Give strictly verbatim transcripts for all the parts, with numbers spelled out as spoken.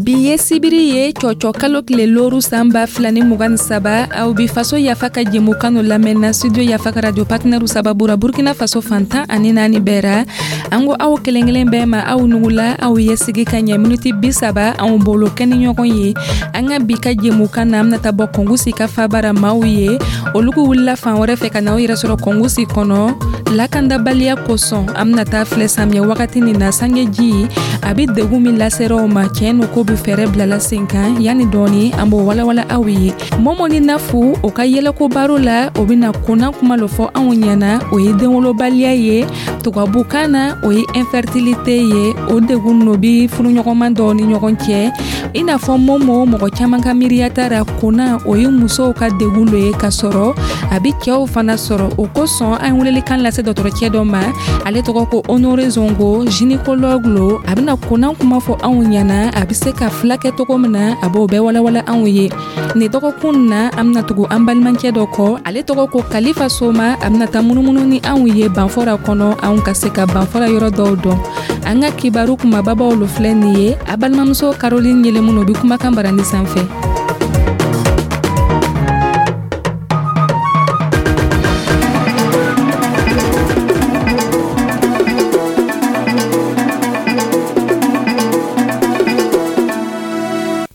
Bi ye sibiri ye, cɔcɔ kalo tile looru, san ba fila ni mugan ni saba. Aw bi Faso Yafa ka jɛmukan lamɛnna Studio Yafa ka radio partenaire sababu ra Burkina Faso fantan ani naani bɛɛ ra. An ko aw kelen kelen bɛɛ ma, aw nugula, aw ye sigi ka ɲɛ miniti bi saba anw bolo kɛ ni ɲɔgɔn ye. An ka bi ka jɛmukan na, an bɛna taa bɔ Kɔngusi ka fabara maaw ye. Olu wulila fan wɛrɛ fɛ ka na aw yɛrɛ sɔrɔ Kɔngusi kɔnɔ lakandabaliya kosɔn. An bɛna taa filɛ samiya wagati nin na, sangeji a bɛ degun min laseraw ma. Tiɲɛ no, ko bɛ fɛɛrɛ bilala sen kan. Yanni dɔɔni, an b'o walawala aw ye. Mɔmɔ ni Nafu o ka yɛlɛko baro la, o bɛna kunna kuma lo fɔ anw ɲɛna. O ye denwolobaliya ye, tubabukan na o ye infertilité ye. O degun no bi furuɲɔgɔnman dɔw ni ɲɔgɔn cɛ. I n'a fɔ Momo, mɔgɔ caman ka miiriya tara kunna o ye musow ka degun lo ye, k'a sɔrɔ a bi cɛw fana sɔrɔ. O kosɔn an welelikan lase dɔgɔtɔrɔcɛ dɔ ma, ale tɔgɔ ko Honore Zongo, gynécologue lo. A bɛna kunna kuma fɔ anw ɲɛna, a bɛ se ka filakɛ cogo min na, a b'o bɛɛ walawala anw ye. Nin dɔgɔkun na, an bɛna tugu an balimacɛ dɔ kɔ, ale tɔgɔ ko Kalifa Soma. A bɛna taa munumunu ni anw ye Banfɔra kɔnɔ, anw ka se ka Banfɔra yɔrɔ dɔw dɔn. An ka kibaru kumababaw lo filɛ nin ye. A balimamuso Caroline Yɛlɛmun o bi kumakan barani sanfɛ.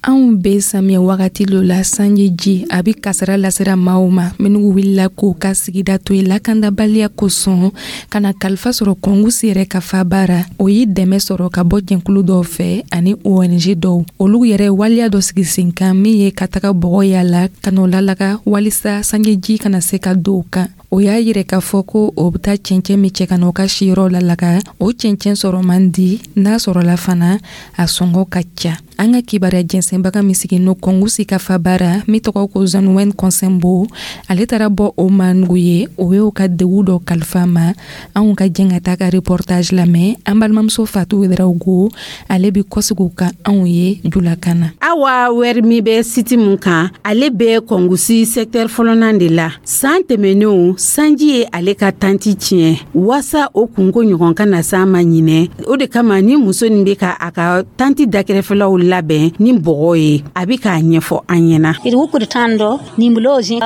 Anw be samiya wagati lo la, sanji ji a bi kasara lasera maaw ma minnu wulila k'u ka sigida to ye lakandabaliya kosɔn ka na kalifa sɔrɔ Kɔngusi yɛrɛ ka fabara. O ye dɛmɛ sɔrɔ ka bɔ jɛnkulu dɔw fɛ ani O N G dɔw. Olu yɛrɛ waleya dɔ sigi sen kan min ye ka taga bɔgɔ yala ka n'o lalaga walisa sanjiji kana se ka don kan. O y'a yirɛ k'a fɔ ko o bɛ taa cɛncɛn min cɛ ka na o ka siyɔrɔ lalaga, o cɛncɛn sɔrɔ man di, n'a sɔrɔla fana a sɔngɔ ka ca. An ka kibaruya jɛnsɛnbaga min sigi no Kɔngusi ka fabara, min tɔgɔ ko Zanuwɛn Kɔnsɛnbo, ale taara bɔ o ma nugu ye, o y'o ka degun dɔ kalifa ma. Anw ka jɛn ka taa ka reportage lamɛn. An balimamuso Fatu Wedarawogo, ale bi kɔsigi ka anw ye julakan na. Awa Wɛri min bɛ site mun kan, ale bɛ Kɔngusi secteur fɔlɔnan de la. San tɛmɛnenw, sanji ye ale ka tanti tiɲɛ. Waasa o kunko ɲɔgɔn ka na s'an ma ɲinɛ, o de kama ni muso nin bɛ ka a ka tanti dakɛrɛfɛlaw labɛn ni bɔgɔ ye. A bɛ k'a ɲɛfɔ an ɲɛna.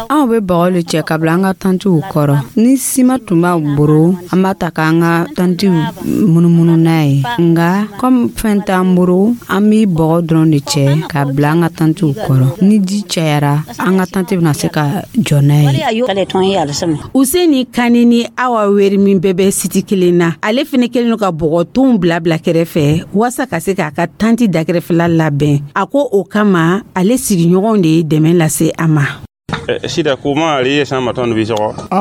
Anw bɛ bɔgɔ le cɛ ka bila an ka tantiw kɔrɔ. Ni sima tun b'an boro, an b'a ta k'an ka tantiw munumunu n'a ye. Nga komi fɛn t'an boro, an bi bɔgɔ dɔrɔn de cɛ ka bila an ka tantiw kɔrɔ. Ni ji cayara, an ka tanti bɛna se ka jɔ n'a ye. Useni Kani ni Awa Weri min bɛɛ bɛ site kelen na, ale fɛnɛ kelen don ka bɔgɔtonw bila bila kɛrɛfɛ waasa ka se k'a ka tanti dakɛrɛfɛla labɛn. A ko o kama, ale sigiɲɔgɔnw de ye dɛmɛ lase a ma. An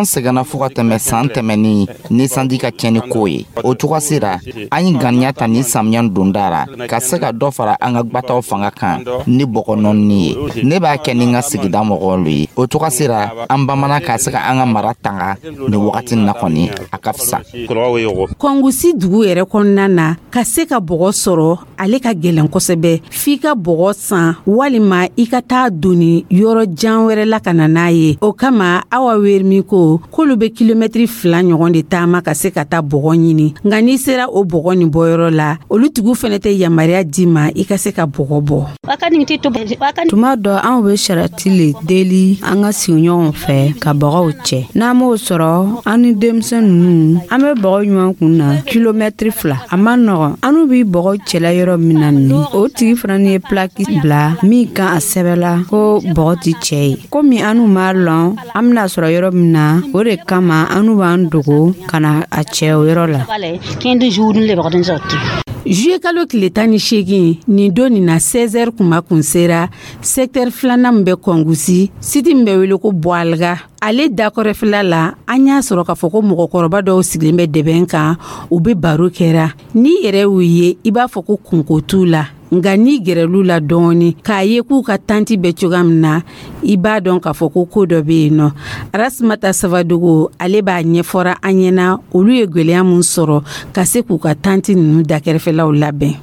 sɛgɛnna fo ka tɛmɛ san tɛmɛnin ni sanji ka tiɲɛni ko ye. O cogo sera, an ye ŋaniya ta ni samiya donda ra ka se ka dɔ fara an ka gwataw fanga kan ni bɔgɔ nɔɔni ye. Ne b'a kɛ ni n ka sigida mɔgɔw ye. O cogo sera, an bamanan ka se ka an ka mara tanga nin wagati na kɔni, a ka fisa. Kɔngusi dugu yɛrɛ kɔnɔna na, ka se ka bɔgɔ sɔrɔ, ale ka gɛlɛn kosɛbɛ. F'i ka bɔgɔ san walima i ka taa doni yɔrɔ jan wɛrɛ la ka na n'a ye. O kama, Awa Werimi ko k'olu bɛ kilomɛtiri fila ɲɔgɔn de taama ka se ka taa bɔgɔ ɲini. Nka n'i sera o bɔgɔ nin bɔyɔrɔ la, olu tigiw fɛnɛ tɛ yamaruya d'i ma i ka se ka bɔgɔ bɔ. Tuma dɔ, anw bɛ sarati le deli an ka sigiɲɔgɔnw fɛ ka bɔgɔw cɛ. N'an m'o sɔrɔ, an ni denmisɛn ninnu, an bɛ bɔgɔ ɲuman kun na kilomɛtiri fila. A man nɔgɔn. An bi bɔgɔ cɛla yɔrɔ min na nin, o tigi fana ye pilaki bila min kan, a sɛbɛla ko bɔgɔ ti cɛ ye. Komi an m'a lɔn an bɛna sɔrɔ yɔrɔ min na, o de kama an b'an dogo ka na a cɛ o yɔrɔ la. Juillet kalo tile tan ni seegin nin don nin na, seize heures kuma kun sera secteur filanan min bɛ Kɔngusi, site min bɛ wele ko Bɔaliga, ale dakɔrɔfɛla la, an y'a sɔrɔ k'a fɔ ko mɔgɔkɔrɔba dɔw sigilen bɛ dɛbɛn kan, u bɛ baro kɛra. N'i yɛrɛ y'u ye, i b'a fɔ ko kunko t'u la. Nka n'i gɛrɛl'u la dɔɔni k'a ye k'u ka tanti bɛ cogoya min na, i b'a dɔn k'a fɔ ko ko dɔ bɛ yen nɔ. Arasimata Sabadogo, ale b'a ɲɛfɔra an ɲɛna olu ye gwɛlɛya mun sɔrɔ ka se k'u ka tanti ninnu dakɛrɛfɛlaw labɛn.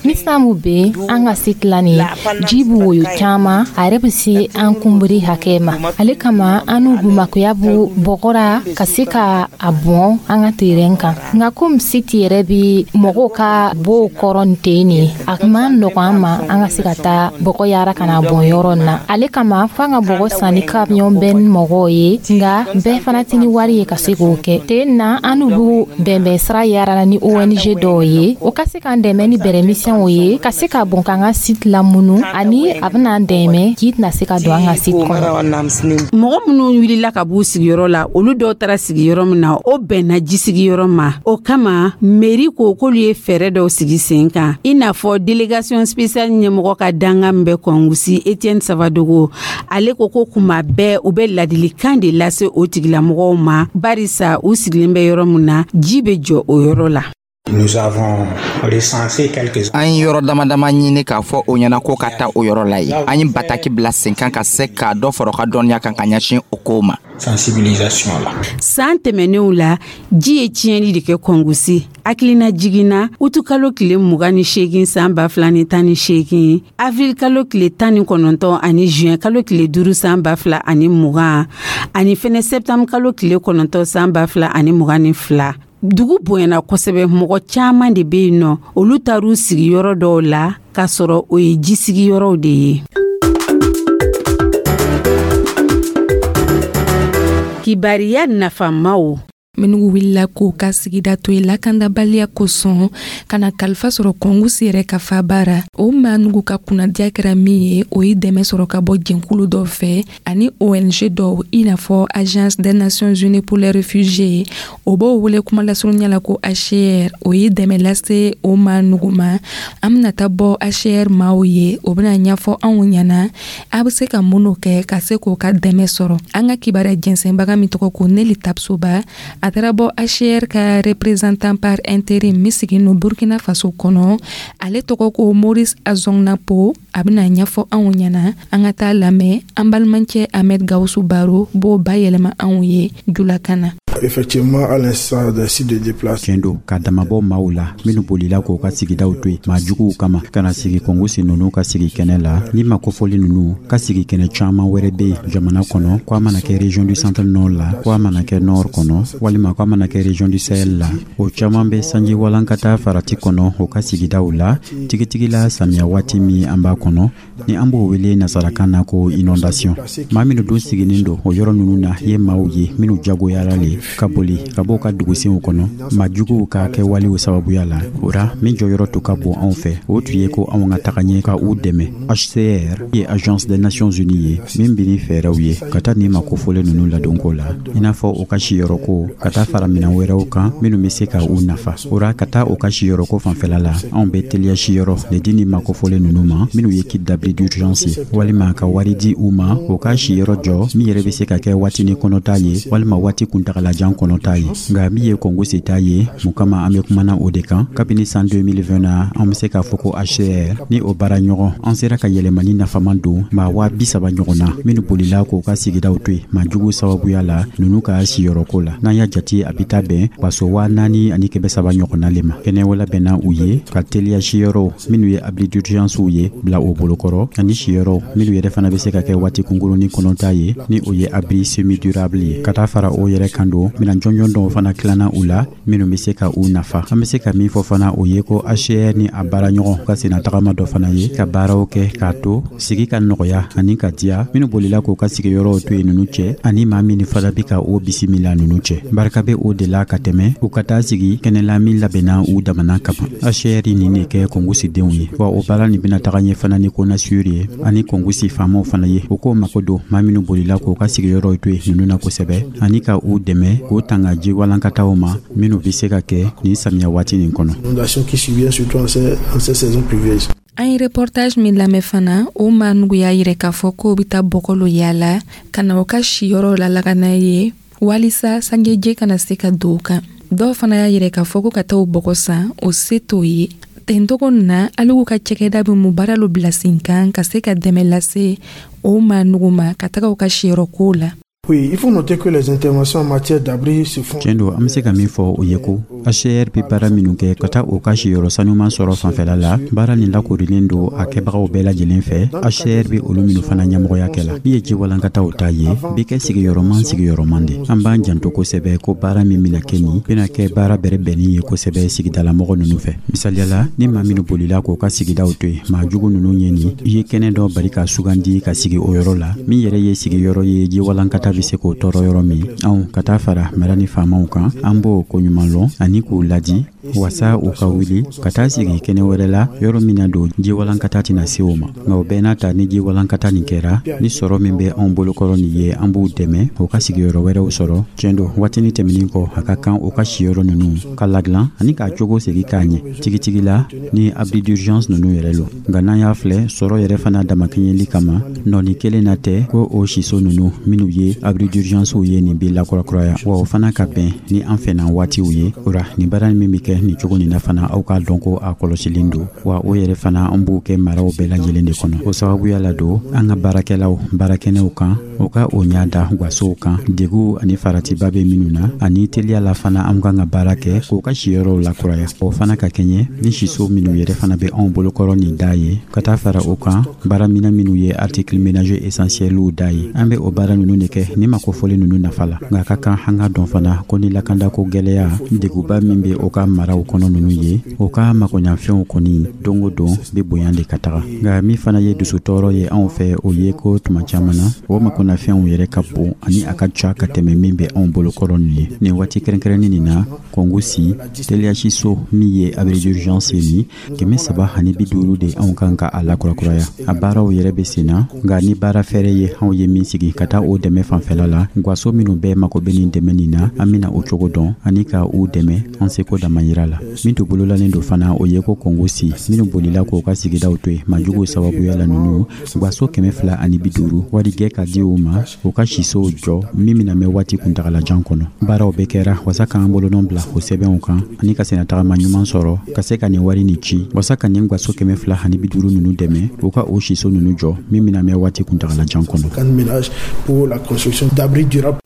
Ni san b'u bɛ an ka site la nin ji b'u woyo caman, a yɛrɛ bɛ se an kunbiri hakɛ ma. Ale kama an n'u makoya b'u bɔgɔra ka se ka a bɔn an ka terrain kan. Nka komi site yɛrɛ bɛ mɔgɔw ka bow kɔrɔ nin ten nin, a ma nɔgɔn an ma an ka se ka taa bɔgɔ yara ka na bɔn yɔrɔ in na. Ale kama f'an ka bɔgɔ san ni camion bɛɛ ni mɔgɔw ye, nka bɛɛ fana tɛ ni wari ye ka se k'o kɛ. Ten na an n'u b'u bɛnbɛn sira yara ni O N G dɔw ye, o ka se k'an dɛmɛ ni bɛrɛmisɛnw ye ka se ka bɔn k'an ka site lamunu, ani a bɛna an dɛmɛ ji tɛna se ka don an ka site kɔnɔ. Mɔgɔ minnu wulila ka b'u sigiyɔrɔ la, olu dɔw taara sigiyɔrɔ min na, o bɛnna ji sigiyɔrɔ ma. O kama mairie ko k'olu ye fɛɛrɛ dɔw sigi sen kan, i n'a fɔ délégation spéciale ɲɛmɔgɔ ka dankan min bɛ Kɔngusi, Etienne Savadogo. Ale ko ko kuma bɛɛ u bɛ ladilikan de lase o tigilamɔgɔw ma, barisa u sigilen bɛ yɔrɔ min na, ji bɛ jɔ o yɔrɔ la. Nous avons recensé quelques An ye yɔrɔ dama dama ɲini k'a fɔ o ɲɛna ko ka taa o yɔrɔ la ye. An ye bataki bila sen kan ka se k'a dɔ fara u ka dɔnniya kan ka ɲɛsin o kow ma. Sensibilisation là. San tɛmɛnenw la, ji ye tiɲɛli de kɛ Kɔngusi. Hakilina jiginna, utukalo tile mugan ni seegin san ba fila ni tan ni seegin, avril kalo tile tan ni kɔnɔntɔn ani juin kalo tile duuru san ba fila ani mugan, ani fɛnɛ septembre kalo tile kɔnɔntɔn san ba fila ani mugan ni fila, dugu bonyana kosɛbɛ. Mɔgɔ caaman de be yen nɔ, olu taar'u sigiyɔrɔ dɔw la k'a sɔrɔ o ye ji sigiyɔrɔw de ye. Kibariya nafamaw. Minnu wulila k'u ka sigida to yen lakandabaliya kosɔn ka na kalifa sɔrɔ Kɔngusi yɛrɛ ka faba, o maa nugu ka kunnadiya kɛra min ye, o ye dɛmɛ sɔrɔ ka bɔ jɛnkulu dɔw fɛ ani O N G dɔw, i n'a fɔ Agence des Nations Unies pour les réfugiés, o b'o wele kuma lasurunya la ko H C R. O ye dɛmɛ lase o maa nugu ma. An bɛna taa bɔ H C R maaw ye, o bɛna ɲɛfɔ anw ɲɛna a bɛ se ka minnu kɛ ka se k'o ka dɛmɛ sɔrɔ. An ka kibaruya jɛnsɛnbaga min tɔgɔ ko Neli Tapsoba, a taara bɔ H C R ka représentant par intérim min sigin no Burkina Faso kɔnɔ, ale tɔgɔ ko Maurice Azongnapo, a bɛna ɲɛfɔ anw ɲɛna. An ka taa lamɛn, an balimacɛ Ahmed Gawusu Baro b'o bayɛlɛma anw ye julakan na. Effectivement, à l'instar des sites de déplacés. Tiɲɛ don, ka damabɔ maaw la minnu bolila k'u ka sigidaw to yen maa juguw kama ka na sigi Kɔngosi ninnu ka sigi kɛnɛ la, ni ma kofɔli ninnu ka sigi kɛnɛ caaman wɛrɛ be yen jamana kɔnɔ, ko a mana kɛ région du centre nord la, ko a mana kɛ nord kɔnɔ, walima ko a mana kɛ région du Sahel la, o caaman bɛ sanji walankata farati kɔnɔ o ka sigidaw la, tigitigi la samiya waati min an b'a kɔnɔ, ni an b'o wele nasarakan na ko inondation. Maa minnu dun siginin don o yɔrɔ ninnu na ye maaw ye minnu jagoyara le ka boli ka bɔ ka dugusenw kɔnɔ maa juguw ka kɛwalew sababuya la. O ra min jɔyɔrɔ tun ka bon anw fɛ, o tun ye ko anw ka taga ɲɛ ka u dɛmɛ. H C R ye Agence des Nations Unies ye min bi ni fɛɛrɛw ye ka taa nin makofɔlen ninnu ladonko la, i n'a fɔ u ka siyɔrɔko, ka taa fara minan wɛrɛw kan minnu be se ka u nafa. O ra ka taa u ka siyɔrɔko fanfɛla la, anw be teliya siyɔrɔ le di ni makofɔlen ninnu ma minnu ye kit d'abri d'urgence ye, walima ka wari di u ma u ka siyɔrɔ jɔ min yɛrɛ be se ka kɛ waatini kɔnɔta ye walima waati kuntagalajan kɔnɔta ye. Nka min ye Kɔngo ta ye, mun kama an be kumana o de kan, kabini san deux mille vingt na, an be se k'a fɔ ko H C R ni o baara ɲɔgɔn, an sera ka yɛlɛmani nafaman don maa waa bi saba ɲɔgɔn na minnu bolila k'u ka sigidaw to yen maa jugu sababuya la ninnu ka siyɔrɔko la. N'an y'a jate, a bi taa bɛn baso waa naani ani kɛmɛ saba ɲɔgɔnna le ma. Kɛnɛ labɛnna u ye ka teliya siyɔrɔw minnu ye abri d'urgence ye bila o bolokɔrɔ, ani siyɔrɔw minnu yɛrɛ fana be se ka kɛ waati kunkurunin kɔnɔta ye, ni o ye abri semi durable ye. Ka taa fara o yɛrɛ kan don, minan jɔnjɔn dɔw fana tilanna u la minnu be se ka u nafa. An be se ka min fɔ fana, o ye ko H C R ni a baaraɲɔgɔn ka senna tagama dɔ fana ye ka baaraw kɛ k'a to sigi ka nɔgɔya ani ka diya minnu bolila k'u ka sigiyɔrɔw to yen ninnu cɛ, ani maa min fana bi ka o bisimila ninnu cɛ. Barika be o de la ka tɛmɛ u ka taa sigi kɛnɛla min labɛnna u damana kama. H C R nin de kɛ Kɔngusidenw ye wa o baara nin bɛna taga ɲɛ fana ni CONASUR ye ani Kɔngusi faamaw fana ye. U k'o mako don maa minnu bolila k'u ka sigiyɔrɔw to yen ninnu na kosɛbɛ, ani ka u dɛmɛ k'u tanga ji walankataw ma minnu be se ka kɛ nin samiya waati nin kɔnɔ. Inondations qui surviennent surtout en ces, en ces saisons pluvieuses. An ye reportage min lamɛn fana, o maa nugu y'a yirɛ k'a fɔ k'o bɛ taa bɔgɔlo yaala ka na o ka siyɔrɔ la lakana ye walisa sanjeje kana se ka don o kan. Dɔw fana y'a yirɛ k'a fɔ ko ka taa o bɔgɔ san, o se t'o ye. Tentogo na aligu ka cɛkɛda bɛ mun baara lo bila sen kan ka se ka dɛmɛ lase o maa nugu ma ka taga u ka siyɔrɔkow la. Oui, il faut noter que les interventions en matière d'abri se font. Tiɲɛ don, an bɛ se ka min fɔ, o ye ko H C R bɛ baara minnu kɛ ka taa o ka siyɔrɔ sanuman sɔrɔ fanfɛla la, baara nin lakorilen don a kɛbagaw bɛɛ lajɛlen fɛ, H C R bɛ olu minnu fana ɲɛmɔgɔya kɛ la. Min ye jiwalankataw ta ye, bɛ kɛ sigiyɔrɔman sigiyɔrɔman de. An b'an janto kosɛbɛ ko baara min bɛna kɛ nin bɛna kɛ baara bɛrɛbɛnni ye kosɛbɛ sigidalamɔgɔ ninnu fɛ. Misaliyala, ni maa minnu bolila k'o ka sigidaw to yen, maa jugu ninnu ye nin i ye kɛnɛ dɔ bari ka sugandi ka sigi o yɔrɔ la, min yɛrɛ ye sigiyɔrɔ ye, jiwalankata bɛ se k'o tɔɔrɔ yɔrɔ min, anw ka taa fara mara ni faamaw kan, an b'o ko ɲuman lɔn ani k'u ladi wasa u ka wuli ka taa sigi kɛnɛ wɛrɛ la, yɔrɔ min na don jiwalankata tɛna se o ma. Nka o bɛɛ n'a ta, ni jiwalankata nin kɛra, ni sɔrɔ min bɛ anw bolokɔrɔ nin ye, an b'u dɛmɛ u ka sigiyɔrɔ wɛrɛw sɔrɔ. Tiɲɛ don, waatini tɛmɛnin kɔ, a ka kan u ka siyɔrɔ ninnu ka ladilan ani k'a cogo segi k'a ɲɛ tigitigi la ni abri d'urgence ninnu yɛrɛ lo. Nka n'an y'a filɛ, sɔrɔ yɛrɛ fana damakɛɲɛli kama, nɔɔni kelen na tɛ ko o siso ninnu minnu ye abri d'urgence ye, nin bɛ lakurakuraya wa, o fana ka bɛn ni an fɛnna waatiw ye. O ra, nin baara min bɛ kɛ nin cogo nin na fana, aw k'a dɔn ko a kɔlɔsilen don wa, o yɛrɛ fana an b'o kɛ maraw bɛɛ lajɛlen de kɔnɔ. O sababuya la don, an ka baarakɛlaw baarakɛnɛw kan, o ka o ɲa da gasow kan, deguw ani faratiba bɛ minnu na, ani teliya la fana an kan ka baara kɛ k'o ka siyɔrɔw lakuraya, o fana ka kɛɲɛ ni siso minnu yɛrɛ fana bɛ anw bolokɔrɔ nin da ye. Ka taa fara o kan, baaraminɛ minnu ye article ménager essentielw da ye, an bɛ o baara ninnu de kɛ ni makofɔlen ninnu nafa la. Nka a ka kan an ka dɔn fana ko ni lakandako gwɛlɛya deguba min bɛ o ka maraw kɔnɔ ninnu ye, o ka makoɲafɛnw kɔni don o don bɛ bonya de ka taga. Nka min fana ye dusutɔɔrɔ ye anw fɛ, o ye ko tuma caman na, o makoɲafɛnw yɛrɛ ka bon ani a ka ca ka tɛmɛ min bɛ anw bolokɔrɔ nin ye. Nin waati kɛrɛnkɛrɛnnin nin na, Kɔngusi teliyasiso min ye abri d'urgence ye nin kɛmɛ saba ani bi duuru de anw kan ka a lakurakuraya. A baaraw yɛrɛ bɛ sen na, nka ni baara fɛrɛ ye anw ye min sigi ka taa o dɛmɛ fanfɛla la, gaso minnu bɛɛ mako bɛ nin dɛmɛ nin na, an bɛna o cogo dɔn ani ka u dɛmɛ an seko damayira la. Min tun bololalen don fana, o ye ko Kɔngosi minnu bolila k'o ka sigidaw to yen majuguw sababuya la ninnu, gaso kɛmɛ fila ani bi duuru wari gɛ ka di u ma u ka sisow jɔ, min bɛna mɛn waati kuntagalajan kɔnɔ. Baaraw bɛɛ kɛra wasa k'an bolonɔ bila o sɛbɛnw kan ani ka sennatagama ɲuman sɔrɔ ka se ka nin wari nin ci wasa ka nin gaso kɛmɛ fila ani bi duuru ninnu dɛmɛ u ka o siso ninnu jɔ, min bɛna mɛn waati kuntagalajan kɔnɔ.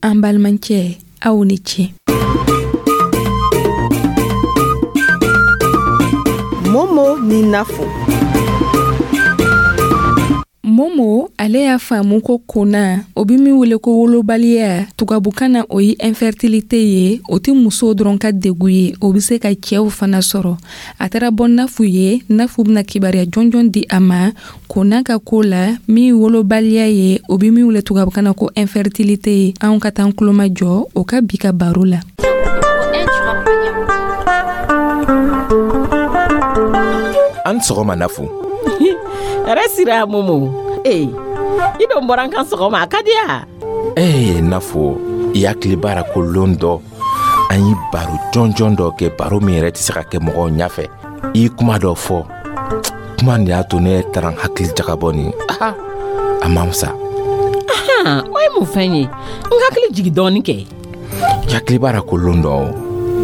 An balimacɛ, aw ni ce. Momo ni Nafo. Momo ale y'a faamu ko kona, o bi min wele ko wolobaliya tubabukan na, o ye infertilité ye, o tɛ musow dɔrɔn ka degu ye, o bɛ se ka cɛw fana sɔrɔ. A taara bɔ Nafu ye. Nafu bɛna kibaruya jɔnjɔn di a ma kona ka ko la, min wolobaliya ye, o bi min wele tubabukan na ko infertilité ye. Anw ka taa kulomajɔ o ka bi ka baro la. An sɔgɔma, Nafu. Yɛrɛ sira, Momo. Ee, i don bɔra n kan sɔgɔma, a ka di ya. Ee Nafo, i hakili b'a la ko lon dɔ an ye baro jɔnjɔn dɔ kɛ, baro min yɛrɛ tɛ se ka kɛ mɔgɔw ɲɛfɛ. I ye kuma dɔ fɔ, kuma nin y'a to ne taara n hakili jagabɔ nin. Aha, a man fisa. O ye mun fɛn ye? N hakili jigi dɔɔni kɛ. I hakili b'a la ko lon dɔ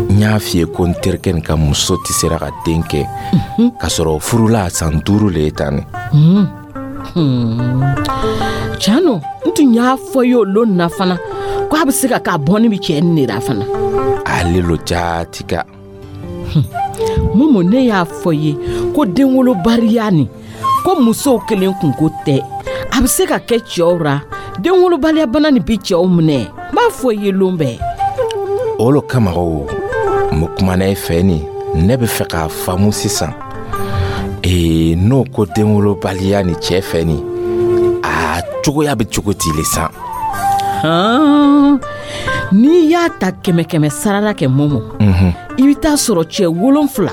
n y'a f'i ye ko n terikɛ nin ka muso tɛ sera ka den kɛ, k'a sɔrɔ furula san duuru le ye tan. Ni Cano, n tun y'a fɔ ye o lon na fana ko a bɛ se ka k'a bɔnni bɛ cɛ nin de la fana. Ale lo jaati ka. Momo, ne y'a fɔ ye ko denwolobaliya nin, ko musow kelen kunko tɛ, a bɛ se ka kɛ cɛw ra. Denwolobaliya bana nin bɛ cɛw minɛ, n b'a fɔ i ye lon bɛɛ. O lo kama o n bɛ kumana i fɛ nin, ne bɛ fɛ k'a faamu sisan. Ee, n'o ko denwolobaliya ni cɛ fɛ nin, a cogoya bɛ cogo di le san? N'i y'a ta kɛmɛ kɛmɛ sarala kɛ, Momo, i bɛ taa sɔrɔ cɛ wolonfila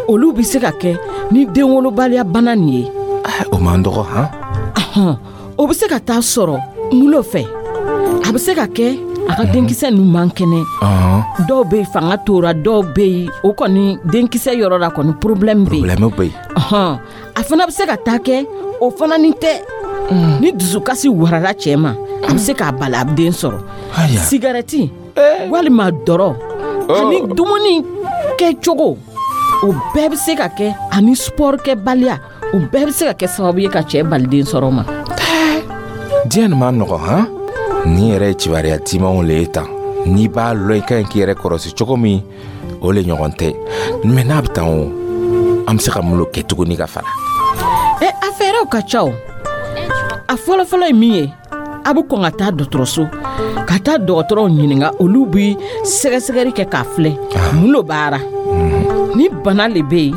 olu bɛ se ka kɛ ni denwolobaliya bana nin ye. O man dɔgɔ han. O bɛ se ka taa sɔrɔ mulo fɛ, a bɛ se ka kɛ a ka denkisɛ ninnu man kɛnɛ. Dɔw bɛ yen fanga tora, dɔw bɛ yen o kɔni denkisɛ yɔrɔ la kɔni problème bɛ yen. Problème bɛ yen. A fana bɛ se ka taa kɛ o fana ni tɛ. Ni dusukasi warala cɛ ma, a bɛ se k'a bali a bɛ den sɔrɔ. Sigarɛti walima dɔrɔ ani dumuni kɛcogo, o bɛɛ bɛ se ka kɛ, ani sport kɛbaliya, o bɛɛ bɛ se ka kɛ sababu ye ka cɛ bali den sɔrɔ ma. Diɲɛ nin man nɔgɔn han. Nin yɛrɛ ye kibaruya timanw le ye tan. N'i b'a lɔn i ka ɲi k'i yɛrɛ kɔrɔsi cogo min, o le ɲɔgɔn tɛ. Mɛ n'a bɛ tan o, an bɛ se ka mun lo kɛ tuguni ka fara? Ɛ, a fɛɛrɛw ka ca o. A fɔlɔfɔlɔ ye min ye, a bɛ kɔn ka taa dɔgɔtɔrɔso, ka taa dɔgɔtɔrɔw ɲininka. Olu bɛ sɛgɛsɛgɛli kɛ k'a filɛ mun lo b'a ra. Ni bana le bɛ yen,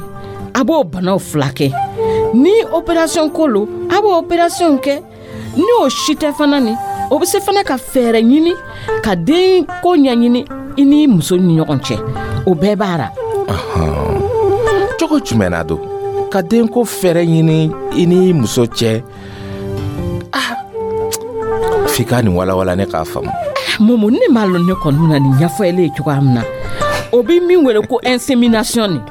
a b'o banaw filakɛ. Ni opération ko lo, a b'o opération kɛ. Ni o si tɛ fana, ni o bɛ se fana ka fɛɛrɛ ɲini ka den ko ɲɛɲini i ni muso ni ɲɔgɔn cɛ, o bɛɛ b'a ra. Cogo jumɛn na don ka den ko fɛɛrɛ ɲini i ni muso cɛ? Ah, f'i ka nin walawala ne k'a faamu. Momo, ne m'a lɔn ne kɔni bɛna nin ɲɛfɔ ele ye cogoya min na. O bɛ min wele ko insémination nin,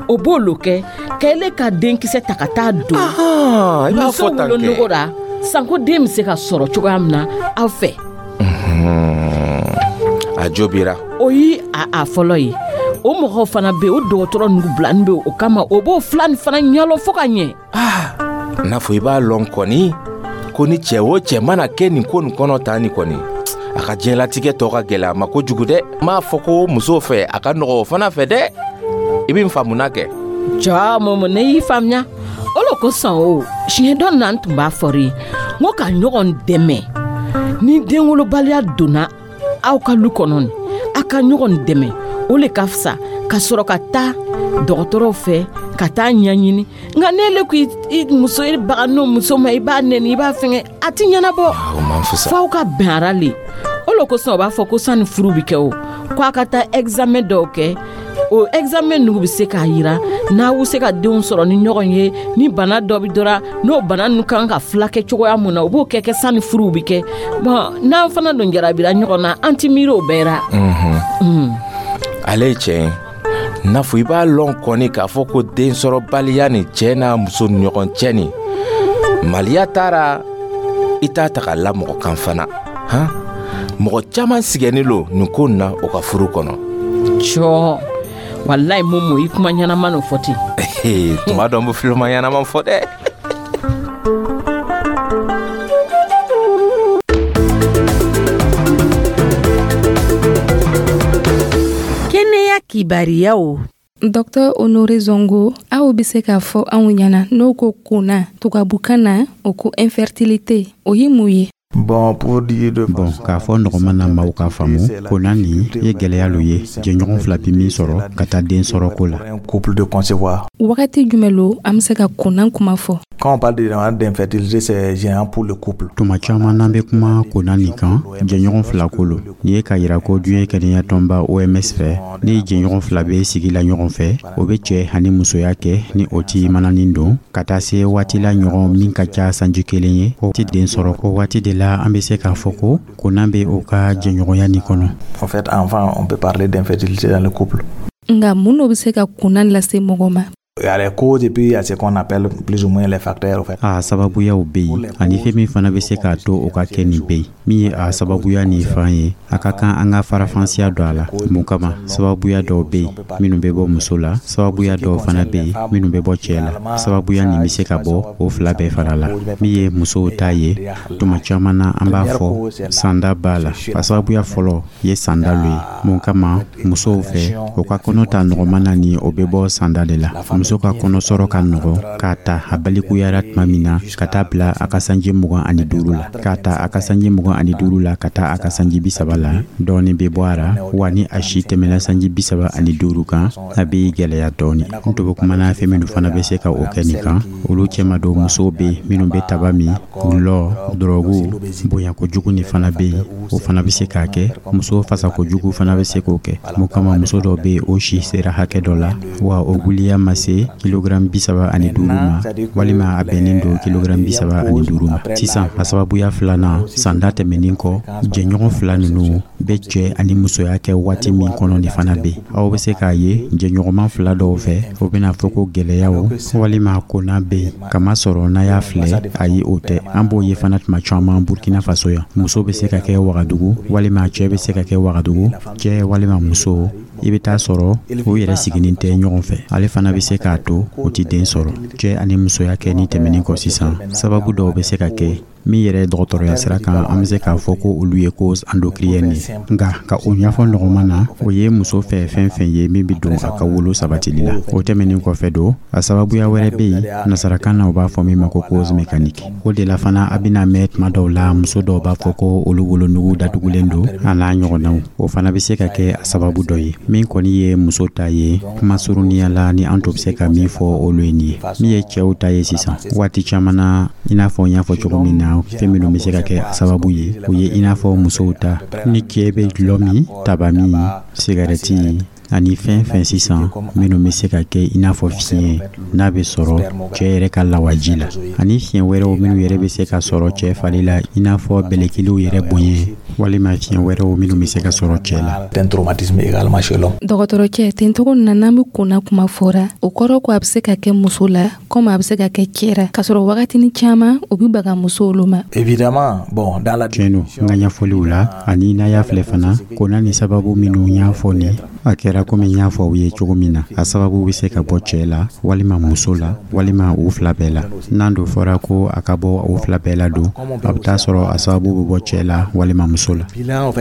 o b'o lo kɛ ka ele ka denkisɛ ta ka taa don i b'a muso fɔ tan kɛ. Wolonugu ra, sanko den bɛ se ka sɔrɔ cogoya min na aw fɛ. A jo bira. O ye a a fɔlɔ ye. O mɔgɔw fana bɛ yen, o dɔgɔtɔrɔ nugu bilani bɛ yen o kama, o b'o fila nin fana ɲɛlɔ fo ka ɲɛ. N'a fɔ i b'a lɔn kɔni ko ni cɛ o cɛ mana kɛ nin ko nin kɔnɔ tan nin kɔni, a ka diɲɛlatigɛ tɔ ka gɛlɛ a ma kojugu dɛ. N m'a fɔ ko musow fɛ a ka nɔgɔ, o fana fɛ dɛ. I bɛ n faamuna kɛ? Jɔ Momo, ne y'i faamuya. O lo kosɔn o siɲɛ dɔ na, n tun b'a fɔri ye n ko ka ɲɔgɔn dɛmɛ. Ni denwolobaliya donna aw ka lu kɔnɔ nin, a ka ɲɔgɔn dɛmɛ, o le ka fisa ka sɔrɔ ka taa dɔgɔtɔrɔw fɛ ka taa ɲɛɲini. Nka n'ele ko i muso, i baga n'o muso ma, i b'a nɛni, i b'a fɛngɛ, a ti ɲɛnabɔ. O man fisa. F'aw ka bɛn ara le. O le kosɔn o b'a fɔ ko sanni furu bi kɛ, o ko a ka taa examen dɔw kɛ. O examen ninnu bɛ se k'a yira n'aw bɛ se ka denw sɔrɔ ni ɲɔgɔn ye, ni bana dɔ bɛ dɔra, n'o bana ninnu kan ka filakɛ cogoya mun na, o b'o kɛ kɛ sanni furuw bɛ kɛ. Bɔn, n'an fana don jarabira ɲɔgɔn na, an ti miiri o bɛɛ ra. Ale ye tiɲɛ ye. N'a fɔ i b'a lɔn kɔni k'a fɔ ko densɔrɔbaliya ni cɛɛ n'a muso ni ɲɔgɔn cɛ nin, maliya taara i t'a ta k'a la mɔgɔ kan fana han. Mɔgɔ caman sigɛnni lo nin ko nin na o ka furu kɔnɔ. Cɔ, walayi Momo, i kuma ɲɛnama n'o fɔ ten. Tuma dɔ n bɛ filima ɲɛnama fɔ dɛ. Kɛnɛya kibariyaw. Docteur Honore Zongo, aw bɛ se k'a fɔ anw ɲɛna n'o ko kona tubabukan na, o ko infertilité, o ye mun ye? Bon, pour dire de Bɔn, k'a fɔ nɔgɔman na maaw k'a faamu, kona nin ye gwɛlɛya lo ye jɛɲɔgɔn fila bi min sɔrɔ ka taa den sɔrɔ ko la. Un couple de concevoir. Wagati jumɛn lo an bɛ se ka kona kuma fɔ? Quand on parle d'infertilité, c'est gênant pour le couple. Tuma caman n'an bɛ kuma kona nin kan, jɛɲɔgɔn fila ko lo. Nin ye k'a yira ko diɲɛ kɛnɛya tɔnba O M S fɛ, ni jɛɲɔgɔn fila bɛ sigi la ɲɔgɔn fɛ, o bɛ cɛ ani musoya kɛ ni o ti mananin don ka taa se waati la ɲɔgɔn min ka ca sanji kelen ye, o ti den sɔrɔ. O waati de la an bɛ se k'a fɔ ko kona bɛ o ka jɛɲɔgɔnya nin kɔnɔ. En fait, enfin, on peut parler d'infertilité dans le couple. Nka mun de bɛ se ka kona lase mɔgɔ ma? Il y a les causes et puis il y a ce qu'on appelle plus ou moins les facteurs, en fait. A sababuyaw bɛ yen, ani fɛn min fana bɛ se k'a to o ka kɛ nin bɛ yen. Min ye a sababuya nin fan ye, a ka kan an ka farafansiya don a la. Mun kama? Sababuya dɔw bɛ yen minnu bɛ bɔ muso la, sababuya dɔw fana bɛ yen minnu bɛ bɔ cɛ la. Sababuya nin bɛ se ka bɔ o fila bɛɛ fara la. Min ye musow ta ye, tuma caman na an b'a fɔ sanda b'a la. A sababuya fɔlɔ ye sanda lo ye. Mun kama? Musow fɛ, o ka kɔnɔ ta nɔgɔman na ni o bɛ bɔ sanda de la. Muso ka kɔnɔsɔrɔ ka nɔgɔ k'a ta a balikuyara tuma min na ka taa bila a ka sanji mugan ani duuru la, k'a ta a ka sanji mugan ani duuru la ka taa a ka sanji bi saba la, dɔɔni bɛ bɔ a ra. Wa ni a si tɛmɛna sanji bi saba ani duuru kan, a bɛ gɛlɛya dɔɔni. N tun bɛ kumana fɛn minnu fana bɛ se ka o kɛ nin kan, olu cɛma don musow bɛ yen minnu bɛ taba min, gulɔ, dɔrɔgu, bonya kojugu nin fana bɛ yen, o fana bɛ se k'a kɛ. Muso fasa kojugu fana bɛ se k'o kɛ. Mun kama? Muso dɔw bɛ yen, o si sera hakɛ dɔ la, wa o wuliya ma se kilogram bi saba ani duuru ma, walima a bɛnnen don kilogram bi saba ani duuru ma. Sisan a sababuya filanan, sanda tɛmɛnen kɔ, jɛɲɔgɔn fila ninnu bɛ cɛ ani musoya kɛ waati min kɔnɔ nin fana bɛ yen. Aw bɛ se k'a ye jɛɲɔgɔnma fila dɔw fɛ, o bɛna fɔ ko gɛlɛyaw walima kona bɛ yen, kamasɔrɔ n'a y'a filɛ, ayi, o tɛ. An b'o ye fana tuma caman Burkina Faso yan. Muso bɛ se ka kɛ Wagadugu, walima cɛ bɛ se ka kɛ Wagadugu, cɛ walima muso, i bɛ taa sɔrɔ o yɛrɛ siginin tɛ ɲɔgɔn fɛ. Ale fana bɛ se k'a to o ti den sɔrɔ. Cɛ ani musoya kɛ ni tɛmɛnen kɔ sisan, sababu dɔw bɛ se ka kɛ Min yɛrɛ dɔgɔtɔrɔya sira kan, an bɛ se k'a fɔ ko olu ye cause endocrinienne ye. Nka ka o ɲɛfɔ nɔgɔman na, o ye muso fɛ fɛn fɛn ye min bɛ don a ka wolo sabatili la. O tɛmɛnen kɔfɛ don, a sababuya wɛrɛ bɛ yen, nasarakan na u b'a fɔ min ma ko cause mécanique. O de la fana, a bɛna mɛn tuma dɔw la, muso dɔw b'a fɔ ko olu wolonugu datugulen don, a n'a ɲɔgɔnnaw. O fana bɛ se ka kɛ a sababu dɔ ye. Min kɔni ye muso ta ye, kuma surunya la, ni an to bɛ se ka min fɔ olu ye nin ye. Min ye cɛw ta ye sisan, waati caman na, i n'a fɔ n y'a fɔ cogo min na, fɛn minnu bɛ se ka kɛ a sababu ye, o ye i n'a fɔ musow ta, ni cɛ bɛ dɔlɔ min, taba min, sigarɛti ani fɛn fɛn sisan minnu bɛ se ka kɛ i n'a fɔ fiɲɛ n'a bɛ sɔrɔ cɛ yɛrɛ ka lawaji la, ani fiɲɛ wɛrɛw minnu yɛrɛ bɛ se ka sɔrɔ cɛ fari la, i n'a fɔ bɛlɛkiliw yɛrɛ bonya, walima fiɲɛ wɛrɛw minnu bɛ se ka sɔrɔ cɛ la. Dɔgɔtɔrɔcɛ, tencogo na n'an bɛ konna kuma fɔra, o kɔrɔ ko a bɛ se ka kɛ muso la komi a bɛ se ka kɛ cɛ la, k'a sɔrɔ wagatinin caman o bɛ baga musow olu ma. Tiɲɛ don, n ka ɲɛfɔliw la, ani n'a y'a filɛ fana, konna ni sababu minnu y'a fɔ nin, a kɛra komi n y'a fɔ aw ye cogo min na, a sababu bɛ se ka bɔ cɛ la walima muso la walima u fila bɛɛ la. N'an don fɔra ko a ka bɔ u fila bɛɛ la don, a bɛ taa sɔrɔ a sababu bɛ bɔ cɛ la walima muso la.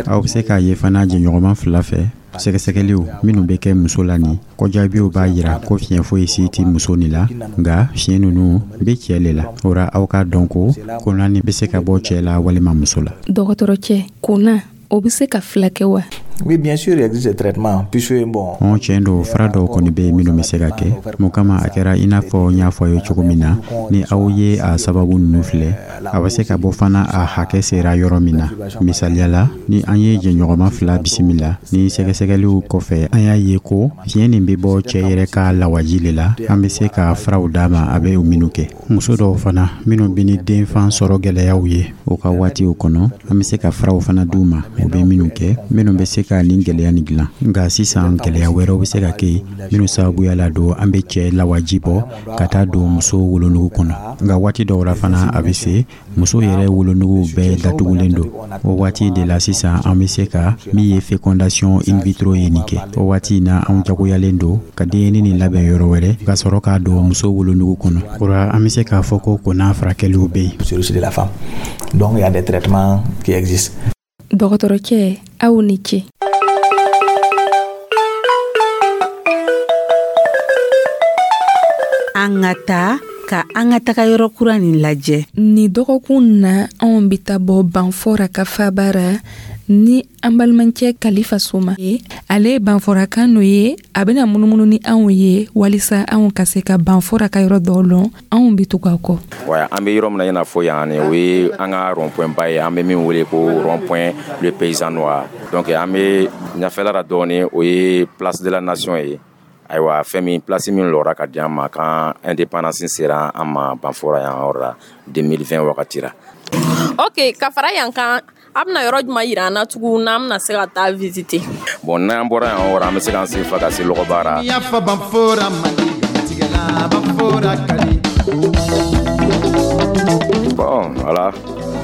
Aw bɛ se k'a ye fana, jɛɲɔgɔnma fila fɛ, sɛgɛsɛgɛliw minnu bɛ kɛ muso la nin kɔjaabiw b'a jira ko fiɲɛ foyi si tɛ muso nin la, nka fiɲɛ ninnu bɛ cɛ le la. O ra, aw k'a dɔn ko konna nin bɛ se ka bɔ cɛ la walima muso la. Dɔgɔtɔrɔcɛ, konna o bɛ se ka fila kɛ wa? Oui, bien sûr, il existe des traitements, puisque bon. Ɔn, tiɲɛ don, fura dɔw kɔni bɛ yen minnu bɛ se ka kɛ. Mun kama, a kɛra i n'a fɔ n y'a fɔ a ye cogo min na, ni aw ye a sababu ninnu filɛ, a bɛ se ka bɔ fana a hakɛ sera yɔrɔ min na. Misaliya la, ni an ye jɛɲɔgɔnma fila bisimila, ni sɛgɛsɛgɛliw kɔfɛ an y'a ye ko fiɲɛ nin bɛ bɔ cɛ yɛrɛ ka lawaji le la, an bɛ se ka furaw d'a ma a bɛ o minnu kɛ. Muso dɔw fana minnu bɛ ni denfan sɔrɔ gɛlɛyaw ye o ka waatiw kɔnɔ, an bɛ se ka furaw fana d'u ma u bɛ minnu kɛ, minnu bɛ se ka nin gɛlɛya nin dilan. Nka sisan, gɛlɛya wɛrɛw bɛ se ka kɛ minnu sababuya la don, an bɛ cɛ lawaji bɔ ka taa don muso wolonugu kɔnɔ. Nka waati dɔw la fana, a bɛ se muso yɛrɛ wolonugu bɛɛ datugulen don. O waati de la sisan, an bɛ se ka min ye fécondation in vitro ye nin kɛ. O waati in na, anw jagoyalen don ka denyɛrɛnin nin labɛn yɔrɔ wɛrɛ ka sɔrɔ k'a don muso wolonugu kɔnɔ. O la, an bɛ se k'a fɔ ko konna furakɛliw bɛ yen. Donc il y a des traitements qui existent. Dɔgɔtɔrɔcɛ, aw ni ce. An ka taa ka an ka taga yɔrɔ kura nin lajɛ. Nin dɔgɔkun na, anw bɛ taa bɔ Banfora ka faba ra ni an balimakɛ Kalifa Soma ye. Ale ye Banforakan n'o ye, a bɛna munumunu ni anw ye walisa anw ka se ka Banfora ka yɔrɔ dɔw lɔn. Anw bɛ tugu a kɔ. Wa an bɛ yɔrɔ min na i n'a fɔ yan, o ye an ka rond-point ba ye, an bɛ min wele ko rond-point le paysan noir. Donc an bɛ ɲɛfɛla la dɔɔnin, o ye place de la nation ye. Ayiwa, fɛn min place min lɔra ka di an ma kan indépendance sera an ma Banfora yan yɔrɔ la deux mille vingt wagati la. Ok, ka fara yan kan, a bɛna yɔrɔ jumɛn yira an na tugun n'an bɛna se ka taa visiter? Bon, n'an bɔra yan yɔrɔ, an bɛ se k'an sen fa ka se Lɔgɔbara. Yafa Banfora mandi tigɛla Banfora kadi. Bon, voilà,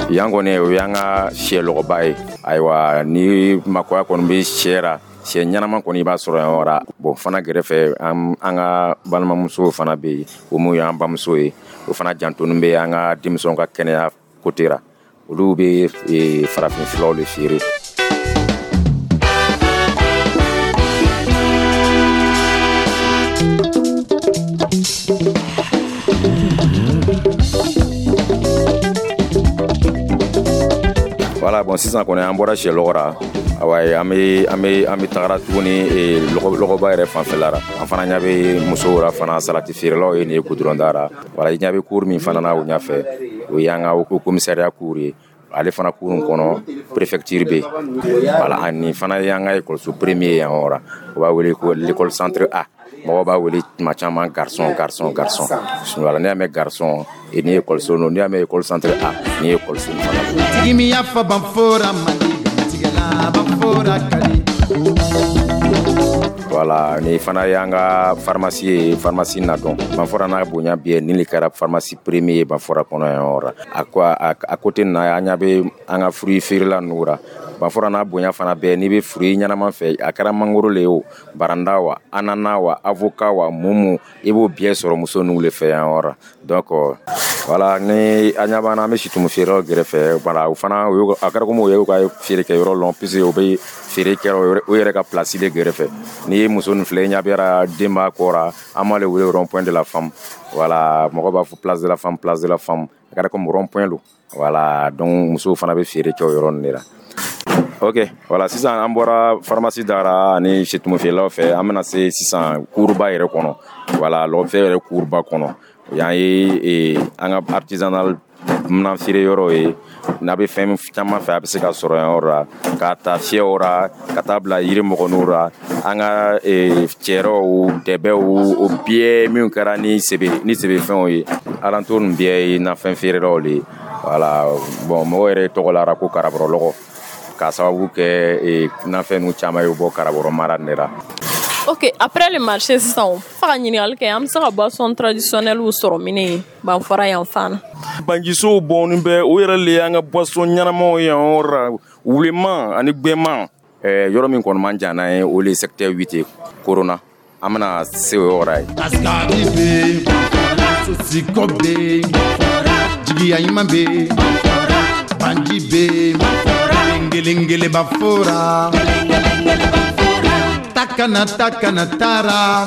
yan kɔni, o y'an ka sɛ lɔgɔba ye. Ayiwa, ni makoya kɔni bɛ sɛ ra, sɛ ɲɛnama kɔni, i b'a sɔrɔ yan yɔrɔ. Bon, fana gɛrɛfɛ, an ka balimamusow fana bɛ yen, o mun y'an bamuso ye, o fana jantonin bɛ an ka denmisɛnw ka kɛnɛya côté ra. Olu bɛ farafin furaw de feere. Voilà, bon, sisan kɔni, an bɔra sɛ lɔgɔ ra. Awa, an bɛ an bɛ an bɛ tagara tuguni lɔgɔba yɛrɛ fanfɛla la. An fana ɲɛ bɛ musow la fana, salati feerelaw ye nin ye goudron da la. Voilà, i ɲɛ bɛ cour min fana na o ɲɛfɛ, o y'an ka commissariat cour ye. Ale fana cour in kɔnɔ, préfecture bɛ yen. Voilà, ani fana y'an ka école premier yan yɔrɔ la, o b'a wele ko l'école centre A. Mɔgɔw b'a wele tuma caman garçon, garçon, garçon. Voilà, n'i y'a mɛn garçon, ni ye école nɔ, n'i y'a mɛn école centre A, ni ye école fana. Tigi min y'a fɔ Banfora mandi tigɛla Banfora kadi. Voilà, ni fana y'an ka pharmacie ye, pharmacie Nadɔn. Banfora n'a bonya bɛɛ, nin de kɛra pharmacie premier ye Banfora kɔnɔ yan yɔrɔ. A ko a côté nin na, an ɲɛ bɛ an ka fruit feerela ninnu ra. Banfora n'a bonya fana bɛɛ, n'i bɛ fruit ɲɛnama fɛ, a kɛra mangoro le ye o, baranda wa, ananas wa, avocat wa, mun mun, i b'o bɛɛ sɔrɔ muso ninnu de fɛ yan yɔrɔ. Donc Voilà, ni an ɲɛ b'an na, an bɛ situmu feerelaw gɛrɛfɛ. Voilà, o fana a kɛra komi o y'u ka feere kɛ yɔrɔ lɔn, puisque o bɛ feere kɛ o yɛrɛ ka place de gɛrɛfɛ. N'i ye muso nin filɛ, i ɲɛ bɛ den b'a kɔ ra, an b'ale wele rond point de la femme. Voilà, mɔgɔ b'a fɔ place de la femme, place de la femme, a kɛra komi rond point don. Voilà, donc musow fana bɛ feere kɛ o yɔrɔ nin de la. Ok, voilà, sisan an bɔra pharmacie dara ani situmu feerelaw fɛ, an bɛna se sisan kuruba yɛrɛ kɔnɔ. Voilà, lɔgɔfiyɛ yɛrɛ kuruba kɔnɔ. Yan ye an ka artisanal minan feere yɔrɔ ye. N'a bɛ fɛn caman fɛ, a bɛ se ka sɔrɔ yan yɔrɔ la, k'a ta fiyɛw ra ka taa bila yiri mɔgɔninw ra, an ka cɛrɛw, dɛbɛw, o bɛɛ minnu kɛra ni sebe ni sebefɛnw ye. Alentour nin bɛɛ ye nafɛn feerelaw de ye. Voilà, bon, mɔgɔw yɛrɛ tɔgɔ lara ko karabɔrɔlɔgɔ k'a sababu kɛ nafɛn ninnu caman ye bɔ Karabɔrɔ mara nin de la. Ok, après le marché sisan, fa ka ɲininkali kɛ, an bɛ se ka boisson traditionnelle sɔrɔ min ye Banfora yan fan na? Banjisow bɔnni bɛ o yɛrɛ le y'an ka boisson ɲɛnamaw ye yan yɔrɔ la, wuleman ani gbɛman. Yɔrɔ min kɔni man jan n'an ye, o le ye secteur huit ye, Corona. An bɛna se o yɔrɔ ye. Askari bɛ yen, sosikɔ bɛ yen, jigiya ɲuman bɛ yen, banji bɛ yen, kelen kelenba fora. Takana takana taara.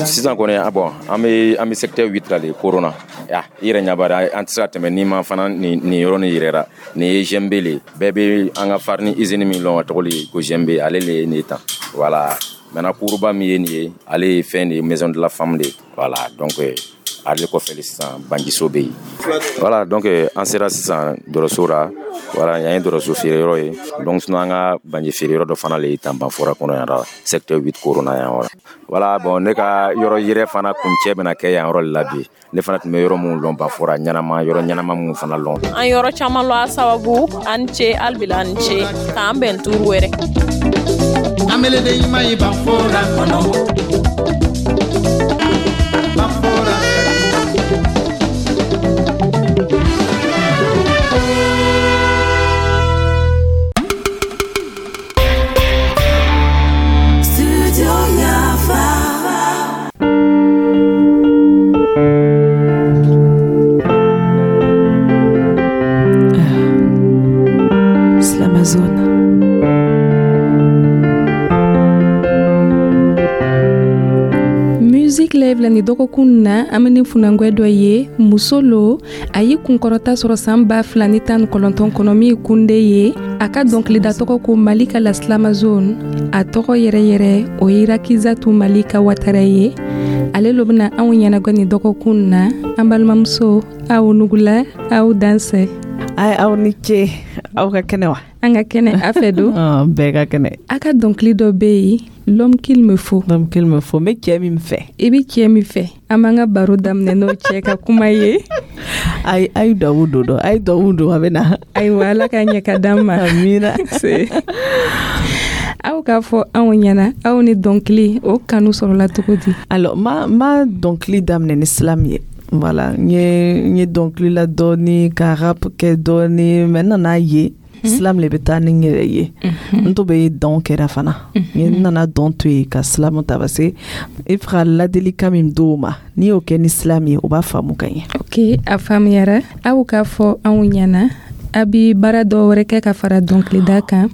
Sisan kɔni, bon, an bɛ an bɛ secteur huit la de, Corona. Ya, i yɛrɛ ɲɛ b'a la, an tɛ se ka tɛmɛ n'i ma fana nin nin yɔrɔ nin yɛrɛ la. Nin ye G M B le ye. Bɛɛ bɛ an ka farine usine min lɔn, a tɔgɔ le ko G M B, ale le ye nin ye tan. Voilà, maintenant kuruba min ye nin ye, ale ye fɛn de ye, maison de la femme de ye. Voilà, donc ale kɔfɛ de sisan banjiso bɛ yen. Voilà, donc an sera sisan dɔrɔso la. Voilà, yan ye dɔrɔso feere yɔrɔ ye. Donc sinon an ka banji feere yɔrɔ dɔ fana le ye tan Banfora kɔnɔ yan la, secteur huit Corona yan yɔrɔ. Voilà, bon, ne ka yɔrɔ yɛrɛ fana kuncɛ bɛna kɛ yan yɔrɔ de la bi. Ne fana tun bɛ yɔrɔ minnu lɔn Banfora ɲɛnama, yɔrɔ ɲɛnama minnu fana lɔn. An yɔrɔ caman lɔn a sababu. An ce hali an ce, k'an bɛn turu wɛrɛ. Ameleden ɲuman ye Banfora kɔnɔ. Banfora. Slamazone. Music Live la ni dɔgɔkun na, an bɛ ni funangwɛ dɔ ye, muso lo. A ye kunkɔrɔta sɔrɔ san ba fila ni tan ni kɔnɔntɔn kɔnɔ, min ye kunde ye. A ka dɔnkilida tɔgɔ ko Malika la Slamazone. A tɔgɔ yɛrɛ yɛrɛ o ye Rakizatu Malika Watara ye. Ale lo bɛna anw ɲɛnagwɛ ni dɔgɔkun na. An balimamuso, aw nugula, aw dansɛ. Ay, aw ni ce, aw ka kɛnɛ wa? An ka kɛnɛ, a fɛ don. Bɛɛ ka kɛnɛ. A ka dɔnkili dɔ bɛ yen, l'homme qu'il me faut. L'homme qu'il me faut, n bɛ cɛ min fɛ. I bɛ cɛ min fɛ. An b'an ka baro daminɛ n'o cɛ ka kuma ye. Ayi, a ye duwawu don dɔ, a ye duwawu don, a bɛ na. Ayiwa, Ala ka ɲɛ ka d'an ma. Amina. Aw k'a fɔ anw ɲɛna, aw ni dɔnkili o kanu sɔrɔla cogo di? Alors, ma ma dɔnkili daminɛ ni slam ye. Voilà, n ye n ye dɔnkili la dɔɔni, ka rap kɛ dɔɔni, mais n nana ye slam le bɛ taa ni n yɛrɛ ye. N to bɛ dɔn kɛra fana, n nana dɔn to yen ka slam ta, parce que i fɛ ka ladilikan min d'o ma, n'i y'o kɛ ni slam ye, o b'a faamu ka ɲɛ. Ok, a faamuyara. Aw k'a fɔ anw ɲɛna, a bi baara dɔ wɛrɛ kɛ ka fara dɔnkilida kan,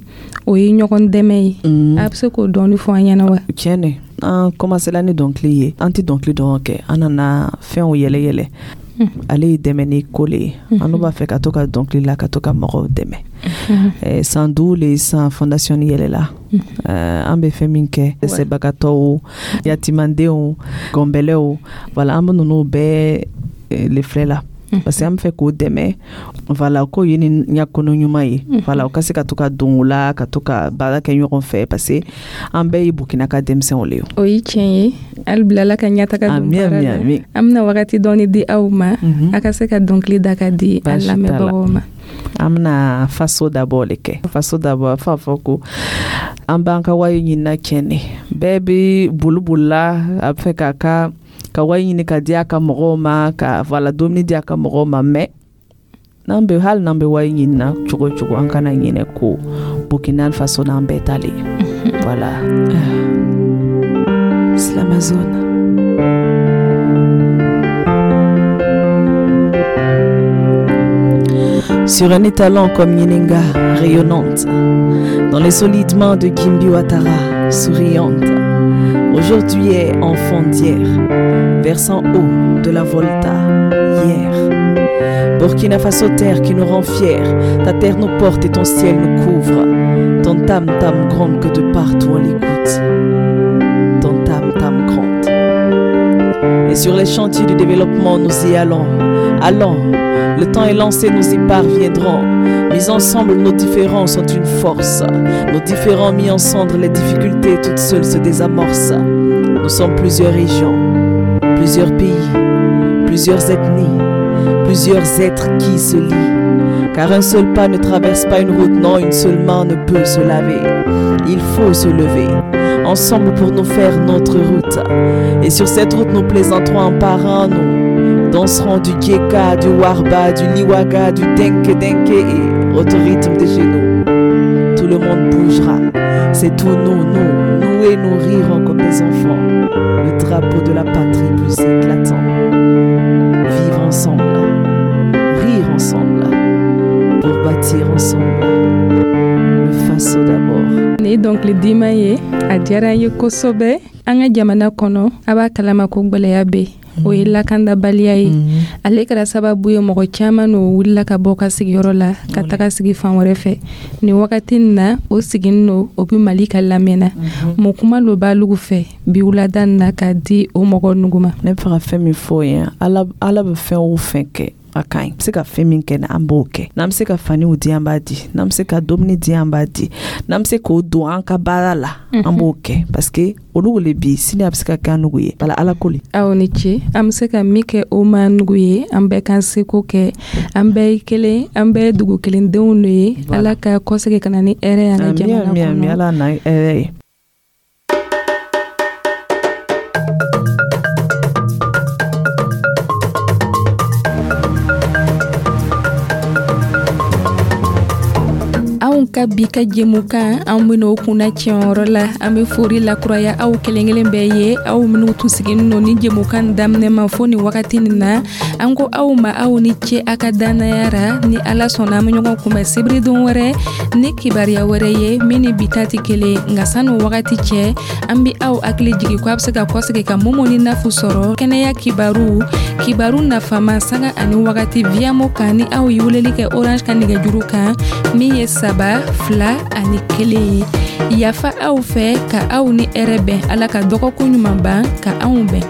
o ye ɲɔgɔn dɛmɛ ye. A bɛ se k'o dɔɔni fɔ an ɲɛna wa? Tiɲɛ de, an commencé la ni dɔnkili ye, an tɛ dɔnkili dɔrɔn kɛ, an nana fɛnw yɛlɛ yɛlɛ. Ale ye dɛmɛ ni ko le ye. An b'a fɛ ka to ka dɔnkili la, ka to ka mɔgɔw dɛmɛ. San duuru le san fondation yɛlɛla. An bɛ fɛn min kɛ, dɛsɛbagatɔw, yatimandenw, gɔnbɛlɛw, voilà, an bɛ ninnu bɛɛ le filɛ la, parce que an bɛ fɛ k'o dɛmɛ. Voilà, k'o ye ni ɲɛkɔnɔ ɲuman ye. Voilà, o ka se ka to ka don o la, ka to ka baara kɛ ɲɔgɔn fɛ, parce que an bɛɛ ye Burkina ka denmisɛnw le ye. O ye tiɲɛ ye. Hali bi Ala ka ɲɛtaga don baara la. An bɛna wagati dɔɔni di aw ma, a ka se ka dɔnkili da ka di an lamɛnbagaw ma. An bɛna faso d'abord le kɛ. Faso d'abord, f'a fɔ ko an b'an ka wari ɲinina tiɲɛ de. Bɛɛ bɛ boli bolila, a bɛ fɛ k'a ka ka wari ɲini ka di a ka mɔgɔw ma, ka voilà, dumuni di a ka mɔgɔw ma, mais n'an bɛ hali n'an bɛ wari ɲini na cogo o cogo, an kana ɲinɛ ko Burkina Faso n'an bɛɛ ta le. Voilà. Slamazone. Sur un étalon comme Yennenga, rayonnante. Dans les solides mains de Gimbi Ouattara, souriante. Aujourd'hui est enfant d'hier, versant haut de la Volta, hier. Burkina Faso, terre qui nous rend fiers, ta terre nous porte et ton ciel nous couvre. Ton tam-tam gronde que de partout on l'écoute. Ton tam-tam gronde. Et sur les chantiers du développement, nous y allons. Allons, le temps est lancé, nous y parviendrons. Mis ensemble, nos différences sont une force. Nos différends mis en cendre, les difficultés toutes seules se désamorcent. Nous sommes plusieurs régions, plusieurs pays, plusieurs ethnies, plusieurs êtres qui se lient. Car un seul pas ne traverse pas une route, non, une seule main ne peut se laver. Il faut se lever, ensemble pour nous faire notre route. Et sur cette route, nous plaisanterons un par un, nous danserons du Geka, du Warba, du Liwaga, du Denke Denke et autres rythmes de chez nous. Tout le monde bougera. C'est tout nous, nous, nous et nous rirons comme des enfants. Le drapeau de la patrie plus éclatant. Vivre ensemble, rire ensemble, pour bâtir ensemble. Le Faso d'abord. Ni dɔnkili dima ye a diyara n ye kosɛbɛ. An ka jamana kɔnɔ, a b'a kalama ko gwɛlɛya bɛ, o ye lakandabaliya ye. Ale kɛra sababu ye mɔgɔ caman n'o wulila ka bɔ ka sigiyɔrɔ la ka taga sigi fan wɛrɛ fɛ. Nin wagati nin na, o siginin no, o bɛ Mali ka lamɛnna. Mun kuma lo b'alugu fɛ bi wulada nin na k'a di o mɔgɔ nugu ma? Ne bɛ fɛ ka fɛn min fɔ ye, Ala, Ala bɛ fɛn o fɛn kɛ, a ka ɲi. Bɛ se ka fɛn min kɛ, an b'o kɛ. N'an bɛ se ka faniw di, an b'a di. N'an bɛ se ka dumuni di, an b'a di. N'an bɛ se k'o don an ka baara la, an b'o kɛ, parce que olu le bi sini a bɛ se ka kɛ an nugu ye. Bala Ala ko le. Aw ni ce. An bɛ se ka min kɛ o ma nugu ye, an bɛɛ k'an seko kɛ. An bɛɛ ye kelen, an bɛɛ ye dugu kelendenw de ye. Ala ka kɔsegin ka na ni hɛrɛ ye an ka jamana kɔnɔ. Ala na hɛrɛ ye. Anw ka bi ka jɛmukan, an ben'o kunna tiɲɛyɔrɔ la. An be fori lakuraya aw kelen kelen bɛɛ ye, aw minw tun siginin no ni jɛmukan daminɛ ma fo ni wagati nin na. An ko aw ma aw ni ce a ka dannaya ra. Ni Ala sɔnna, an be ɲɔgɔn kunbɛn sibiridon wɛrɛ ni kibaruya wɛrɛ ye min ni bi ta tɛ kelen. Nka san'o wagati cɛ, an be aw hakili jigi ko a be se ka kɔsegi ka Momo ni Nafu sɔrɔ kɛnɛya kibaru, kibaru nafama sanga ani wagati Viamo kan, ni aw ye weleli kɛ Orange ka nɛgɛjuru kan min ye saba fila ani kelen ye. Yafa aw fɛ ka aw ni hɛrɛ bɛn. Ala ka dɔgɔkun ɲuman ban ka anw bɛn.